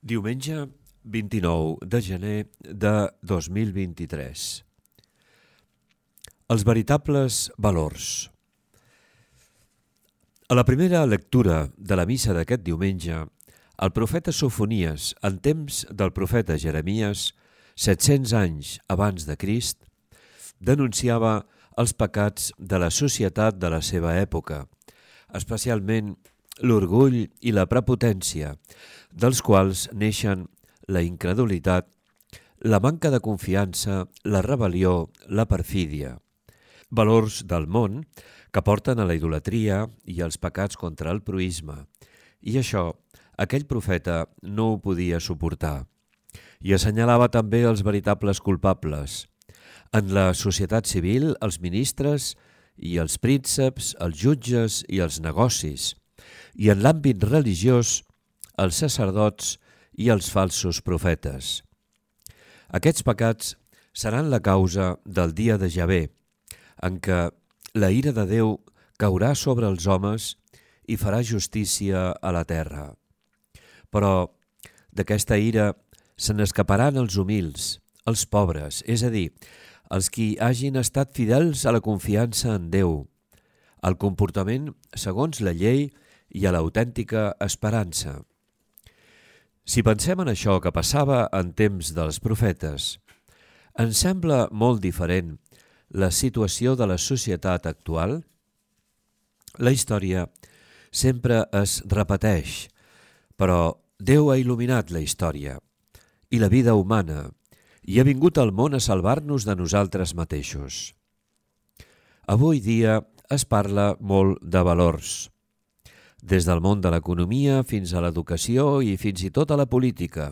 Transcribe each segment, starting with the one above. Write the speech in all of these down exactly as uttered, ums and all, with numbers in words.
Diumenge vint-i-nou de gener de dos mil vint-i-tres. Els veritables valors. A la primera lectura de la missa d'aquest diumenge, el profeta Sofonies, en temps del profeta Jeremies, set-cents anys abans de Crist, denunciava els pecats de la societat de la seva època, especialment l'orgull i la prepotència, dels quals neixen la incredulitat, la manca de confiança, la rebel·lió, la perfídia. Valors del món que porten a la idolatria i als pecats contra el proïsme. I això, aquell profeta no ho podia suportar. I assenyalava també els veritables culpables. En la societat civil, els ministres i els prínceps, els jutges i els negocis. I en l'àmbit religiós, els sacerdots i els falsos profetes. Aquests pecats seran la causa del dia de Javé, en què la ira de Déu caurà sobre els homes i farà justícia a la terra. Però d'aquesta ira se n'escaparan els humils, els pobres, és a dir, els qui hagin estat fidels a la confiança en Déu, al comportament segons la llei i a l'autèntica esperança. Si pensem en això que passava en temps dels profetes, ens sembla molt diferent la situació de la societat actual? La història sempre es repeteix, però Déu ha il·luminat la història i la vida humana i ha vingut al món a salvar-nos de nosaltres mateixos. Avui dia es parla molt de valors, des del món de l'economia fins a l'educació i fins i tot a la política.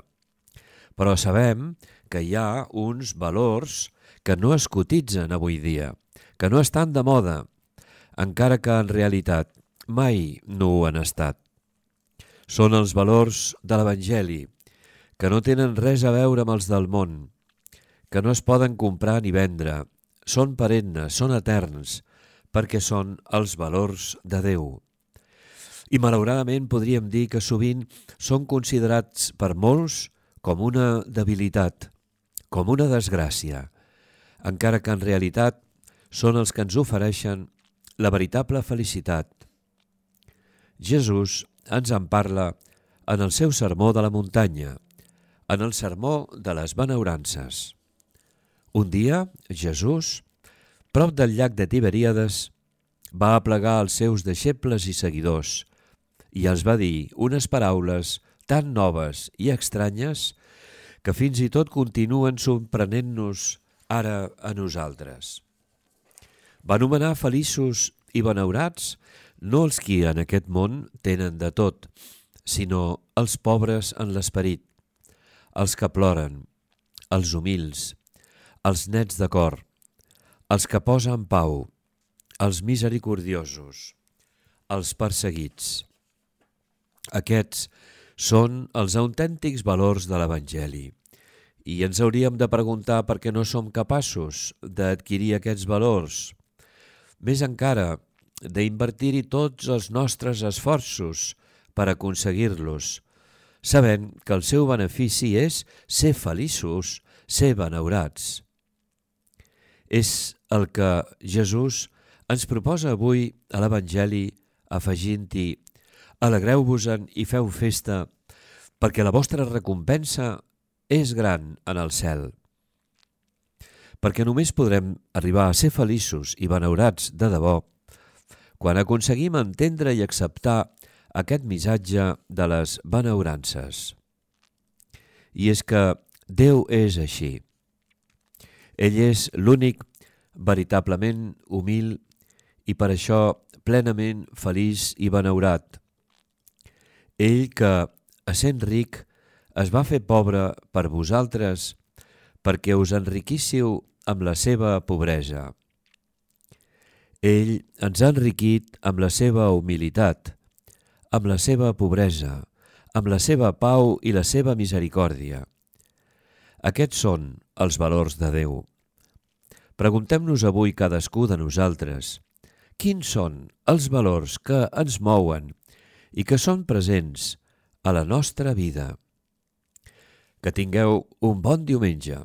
Però sabem que hi ha uns valors que no es cotitzen avui dia, que no estan de moda, encara que en realitat mai no ho han estat. Són els valors de l'Evangeli, que no tenen res a veure amb els del món, que no es poden comprar ni vendre, són perennes, són eterns, perquè són els valors de Déu. I malauradament podríem dir que sovint són considerats per molts com una debilitat, com una desgràcia, encara que en realitat són els que ens ofereixen la veritable felicitat. Jesús ens en parla en el seu sermó de la muntanya, en el sermó de les benaurances. Un dia, Jesús, prop del llac de Tiberíades, va aplegar els seus deixebles i seguidors i els va dir unes paraules tan noves i estranyes que fins i tot continuen sorprenent-nos ara a nosaltres. Va anomenar feliços i benaurats no els qui en aquest món tenen de tot, sinó els pobres en l'esperit, els que ploren, els humils, els nets de cor, els que posen pau, els misericordiosos, els perseguits. Aquests són els autèntics valors de l'Evangeli i ens hauríem de preguntar per què no som capaços d'adquirir aquests valors, més encara d'invertir-hi tots els nostres esforços per aconseguir-los, sabent que el seu benefici és ser feliços, ser benaurats. És el que Jesús ens proposa avui a l'Evangeli afegint-hi: alegreu-vos-en i feu festa, perquè la vostra recompensa és gran en el cel. Perquè només podrem arribar a ser feliços i benaurats de debò quan aconseguim entendre i acceptar aquest missatge de les benaurances. I és que Déu és així. Ell és l'únic veritablement humil i per això plenament feliç i benaurat. Ell que, essent ric, es va fer pobre per vosaltres perquè us enriquíssiu amb la seva pobresa. Ell ens ha enriquit amb la seva humilitat, amb la seva pobresa, amb la seva pau i la seva misericòrdia. Aquests són els valors de Déu. Preguntem-nos avui cadascú de nosaltres quins són els valors que ens mouen i que són presents a la nostra vida. Que tingueu un bon diumenge.